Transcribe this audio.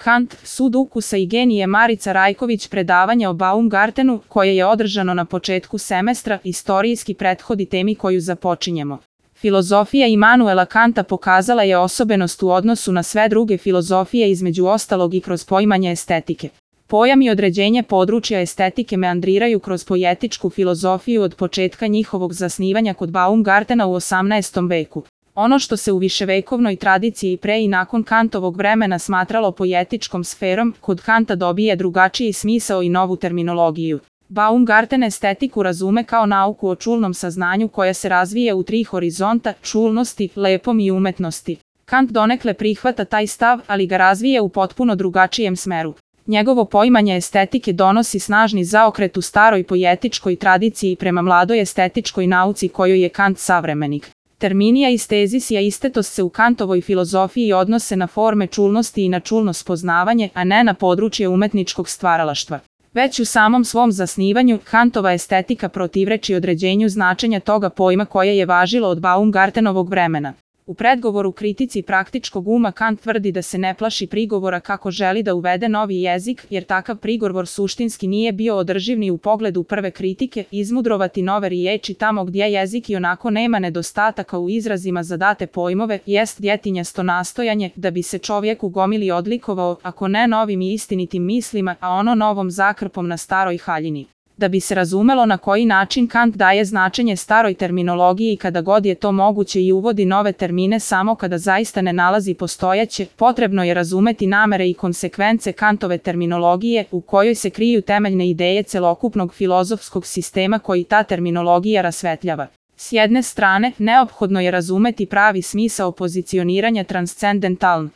Kant, sud ukusa i genije Marica Rajković predavanje o Baumgartenu, koje je održano na početku semestra, istorijski prethodi temi koju započinjemo. Filozofija Imanuela Kanta pokazala je osobenost u odnosu na sve druge filozofije, između ostalog i kroz poimanje estetike. Pojam i određenje područja estetike meandriraju kroz poetičku filozofiju od početka njihovog zasnivanja kod Baumgartena u 18. veku. Ono što se u viševekovnoj tradiciji pre i nakon Kantovog vremena smatralo poetičkom sferom, kod Kanta dobije drugačiji smisao i novu terminologiju. Baumgarten estetiku razume kao nauku o čulnom saznanju koja se razvije u tri horizonta: čulnosti, lepom i umetnosti. Kant donekle prihvata taj stav, ali ga razvije u potpuno drugačijem smeru. Njegovo poimanje estetike donosi snažni zaokret u staroj poetičkoj tradiciji prema mladoj estetičkoj nauci kojoj je Kant savremenik. Terminija estezis i estetos se u Kantovoj filozofiji odnose na forme čulnosti i na čulno spoznavanje, a ne na područje umetničkog stvaralaštva. Već u samom svom zasnivanju, Kantova estetika protivreči određenju značenja toga pojma koje je važilo od Baumgartenovog vremena. U predgovoru kritici praktičkog uma Kant tvrdi da se ne plaši prigovora kako želi da uvede novi jezik, jer takav prigovor suštinski nije bio održiv ni u pogledu prve kritike, izmudrovati nove riječi tamo gdje jezik i onako nema nedostataka u izrazima za date pojmove, jest djetinjasto nastojanje da bi se čovjek u gomili odlikovao, ako ne novim i istinitim mislima, a ono novom zakrpom na staroj haljini. Da bi se razumelo na koji način Kant daje značenje staroj terminologiji kada god je to moguće i uvodi nove termine samo kada zaista ne nalazi postojeće, potrebno je razumeti namere i konsekvence Kantove terminologije, u kojoj se kriju temeljne ideje celokupnog filozofskog sistema koji ta terminologija rasvetljava. S jedne strane, neophodno je razumeti pravi smisao pozicioniranja transcendentaln.